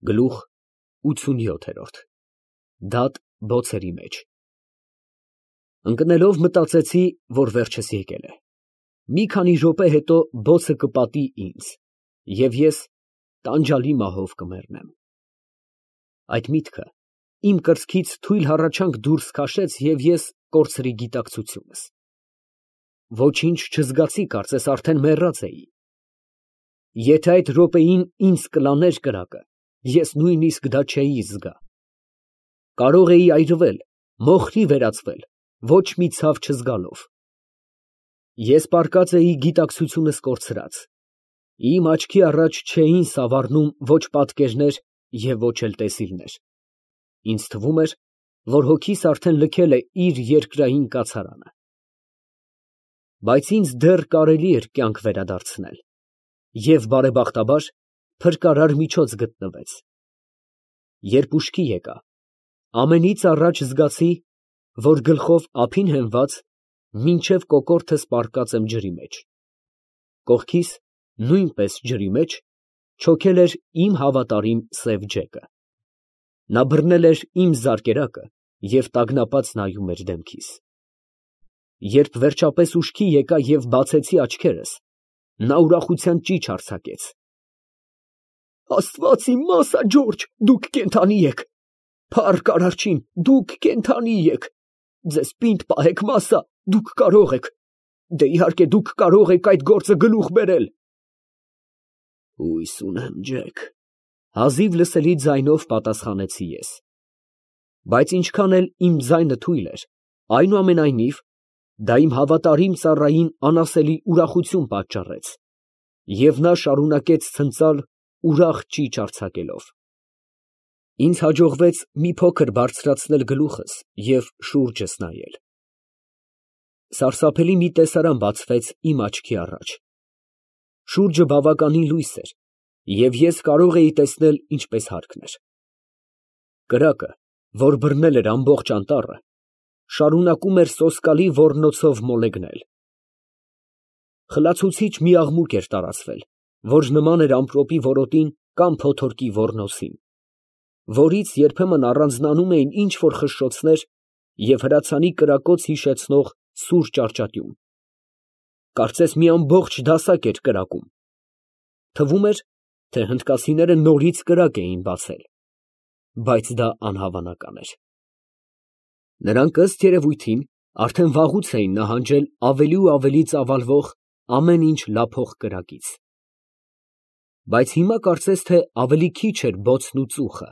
Գլուխ 87 դատ բոցերի մեջ։ Ընկնելով մտածեցի, որ վերջս եկել է։ Մի քանի րոպե հետո բոցը կպատի ինձ, և ես տանջալի մահով կմեռնեմ։ Այդ միտքը իմ կրծքից թույլ հառաչանք դուրս քաշեց, և ես կորցրի գիտակցությունս։ Ոչինչ չզգացի, կարծես արդեն մեռած էի։ Եթե այդ րոպեին ինձ կլաներ կրակը, ես նույնիսկ դա չէի զգա։ Կարող էի այրվել, մոխրի վերածվել, ոչ մի ցավ չզգալով։ Ես պառկած էի գիտակցությունս կորցրած, իմ աչքի առաջ չէին սավառնում ոչ պատկերներ և ոչ էլ տեսիլներ, ինձ թվում էր, որ հոգիս արդեն լքել է իր երկրային կացարանը։ Բայց ինձ դեռ կարելի էր կյանք վերադարձնել, և բարեբախտաբար փրկարար միջոց գտնվեց։ Երբ ուշքի եկա, ամենից առաջ զգացի, որ գլխով ափին հենված, մինչև կոկորդս պառկած եմ ջրի մեջ, կողքիս նույնպես ջրի մեջ չոքել էր իմ հավատարիմ սև ջեկը։ Նա բռնել էր իմ զարկերակը և տագնապած նայում էր դեմքիս։ Երբ վերջապես ուշքի եկա և բացեցի աչքերս, նա ուրախության ճիչ արձակեց. «Աստված իմ մասա, Ջորջ, դուք կենդանի եք, փառք Արարչին, դուք կենդանի եք, ձեզ պինդ պահեք, մասա, դուք կարող եք, դե իհարկե դուք կարող եք այդ գործը գլուխ բերել»։ Հույս ունեմ, Ջեք, հազիվ լսելի ձայնով պատասխանեցի ես։ Բայց ինչքան էլ իմ ձայնը թույլ էր, այնուամենայնիվ դա իմ հավատարիմ ծառային անասելի ուրախություն պատճառեց, և նա շարունակեց ցնծալ ուրախ ճիչ արձակելով։ Ինձ հաջողվեց մի փոքր բարձրացնել գլուխս և շուրջս նայել։ Սարսափելի մի տեսարան բացվեց իմ աչքի առաջ։ Շուրջը բավականին լույս էր, և ես կարող էի տեսնել ինչպես հարկն էր։ Կրակը, որ բռնել էր ամբողջ անտառը, շարունակում էր սոսկալի ոռնոցով մոլեգնել։ Խլացուցիչ մի աղմուկ էր տարածվել, որ նման էր ամպրոպի որոտին կամ փոթորկի ոռնոցին, որից երբեմն առանձնանում էին ինչ֊որ խշշոցներ և հրացանի կրակոց հիշեցնող սուր ճարճատյուն։ Կարծես մի ամբողջ դասակ էր կրակում։ Թվում էր, թե հնդկացիները նորից կրակ էին բացել, բայց դա անհավանական էր։ Նրանք, ըստ երևույթին, արդեն վաղուց էին նահանջել ավելի ու ավելի ծավալվող, ամեն ինչ լափող կրակից։ Բայց հիմա կարծես թե ավելի քիչ էր բոցն ու ծուխը։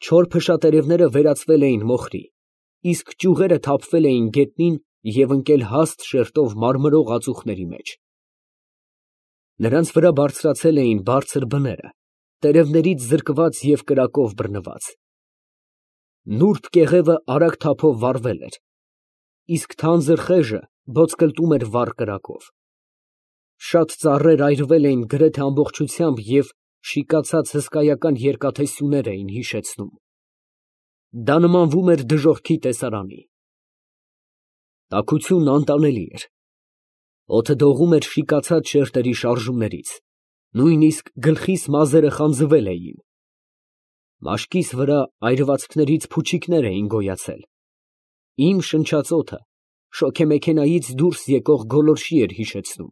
Չոր փշատերևները վերածվել էին մոխրի, իսկ ճյուղերը թափվել էին գետնին և ընկել հաստ շերտով մարմրող ածուխների մեջ։ Նրանց վրա բարձրացել էին բարձր բները, տերևներից զրկված և կրակով բռնված։ Նուրբ կեղևը արագ թափով վառվել էր, իսկ թանձր խեժը ոտկլտում էր վառ կրակով։ Շատ ծառեր այրվել էին գրեթե ամբողջությամբ և շիկացած հսկայական երկաթե սյուներ էին հիշեցնում։ Դա նմանվում էր դժոխքի տեսարանի։ Տաքությունն անտանելի էր։ Օդը դողում էր շիկացած շերտերի շարժումներից, նույնիսկ գլխիս մազերը խանձվել էին։ Մաշկիս վրա այրվածքներից փուչիկներ էին գոյացել։ Իմ շնչած օդը շոգեմեքենայից դուրս եկող գոլորշի էր հիշեցնում։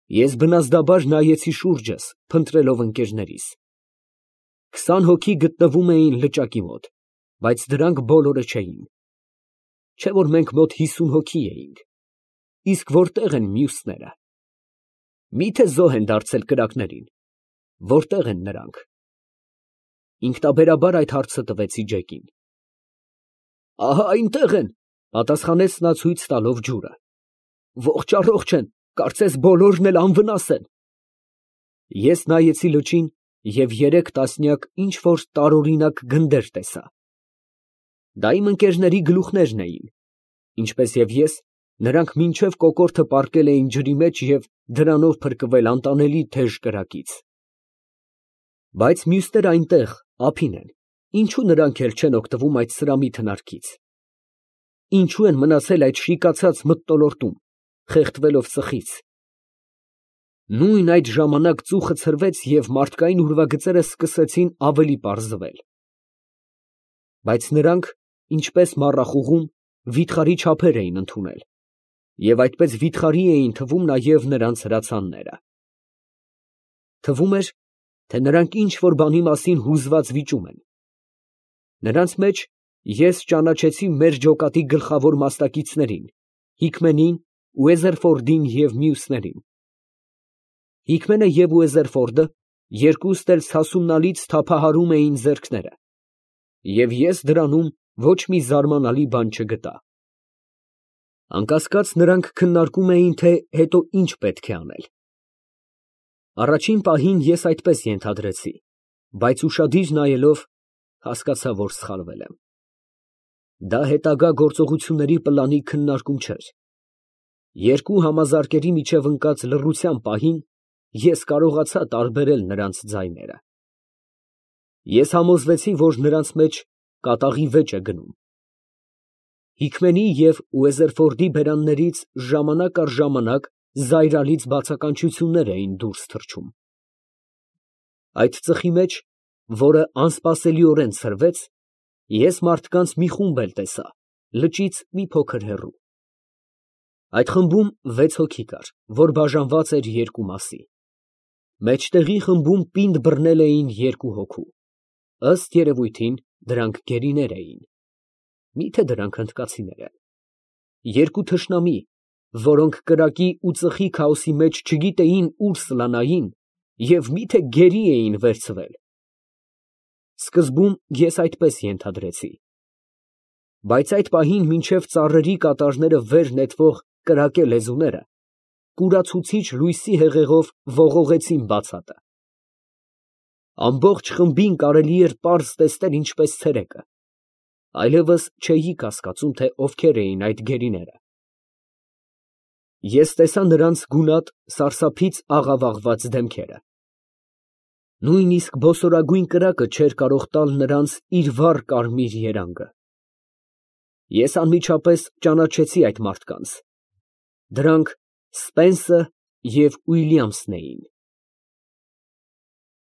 Ես բնազդաբար նայեցի շուրջս, փնտրելով ընկերներիս։ 20 հոգի գտնվում էին լճակի մոտ, բայց դրանք բոլորը չէին։ Չէ՞ որ մենք մոտ 50 հոգի էինք։ Իսկ որտե՞ղ են մյուսները։ Մի՞թե զոհ են դարձել կրակներին։ Որտե՞ղ են նրանք։ Ինքնաբերաբար այդ հարցը տվեցի Ջեկին։ Ահա այնտեղ են, պատասխանեց նա ցույց տալով ջուրը։ Ողջ առողջ են, կարծես բոլորն էլ անվնաս են։ Ես նայեցի լճին և 3 տասնյակ ինչ֊որ տարօրինակ գնդեր տեսա։ Դա իմ ընկերների գլուխներն էին, ինչպես և ես, նրանք մինչև կոկորդը պառկել էին ջրի մեջ և դրանով փրկվել անտանելի թեժ կրակից։ Բայց մյուսները այնտեղ, ափին են, ինչո՞ւ նրանք էլ չեն օգտվում այդ սրամիտ հնարքից։ Ինչո՞ւ են մնացել այդ շիկացած մթնոլորտում, խեղդվելով ծխից։ Նույն այդ ժամանակ ծուխը ցրվեց և մարդկային ուրվագծերը սկսեցին ավելի պարզվել. բայց նրանք, ինչպես մառախուղում, վիթխարի չափեր էին ընդունել, և այդպես վիթխարի էին թվում նաև նրանց հրացանները. թվում էր, թե նրանք ինչ֊որ բանի մասին հուզված վիճում են։ Նրանց մեջ ես ճանաչեցի մեր ջոկատի գլխավոր մասնակիցներին՝ Հիկմենին, Ուեզերֆորդին և մյուսներին։ Հիկմենը և Ուեզերֆորդը երկուստ էլ սասունալից թափահարում էին ձեռքները, և ես դրանում ոչ մի զարմանալի բան չգտա։ Անկասկած, նրանք քննարկում էին, թե հետո ինչ պետք է անել։ Առաջին պահին ես այդպես ենթադրեցի, բայց ուշադիր նայելով, հասկացա, որ սխալվել եմ։ Դա հետագա գործողությունների պլանի քննարկում չէր։ Երկու համազարկերի միջև ընկած լռության պահին ես կարողացա տարբերել նրանց ձայները։ Ես համոզվեցի, որ նրանց մեջ կատաղի վեճ է գնում։ Հիկմենի և Ուեզերֆորդի բերաններից ժամանակ առ ժամանակ զայրալից բացականչություններ էին դուրս թռչում։ Այդ ծխի մեջ, որը անսպասելիորեն ցրվեց, ես մարդկանց մի խումբ էլ տեսա, լճից մի փոքր հեռու։ Այդ խմբում 6 հոգի կար, որ բաժանված էր երկու մասի։ Մեջտեղի խմբում պինդ բռնել էին 2 հոգու։ Ըստ երևույթին, դրանք գերիներ էին։ Մի՞թե դրանք հնդկացիներ են։ Երկու թշնամի, որոնք կրակի ու ծխի քաոսի մեջ չգիտեին ուր սլանային և մի՞թե գերի էին վերցվել։ Սկզբում ես այդպես ենթադրեցի։ Բայց այդ պահին մինչև ծառերի կատարները վեր նետվող կրակե լեզուները կուրացուցիչ լույսի հեղեղով ողողեցին բացատը։ Ամբողջ խմբին կարելի էր պարզ տեսնել ինչպես ցերեկը, այլևս չէի կասկածում, թե ովքեր էին այդ գերիները։ Ես տեսա նրանց գունատ, սարսափից աղավաղված դեմքերը։ Նույնիսկ բոսորագույն կրակը չէր կարող տալ նրանց իր վառ կարմիր երանգը։ Ես անմիջապես ճանաչեցի այդ մարդկանց. դրանք Սպենսը և Ուիլյամսն էին։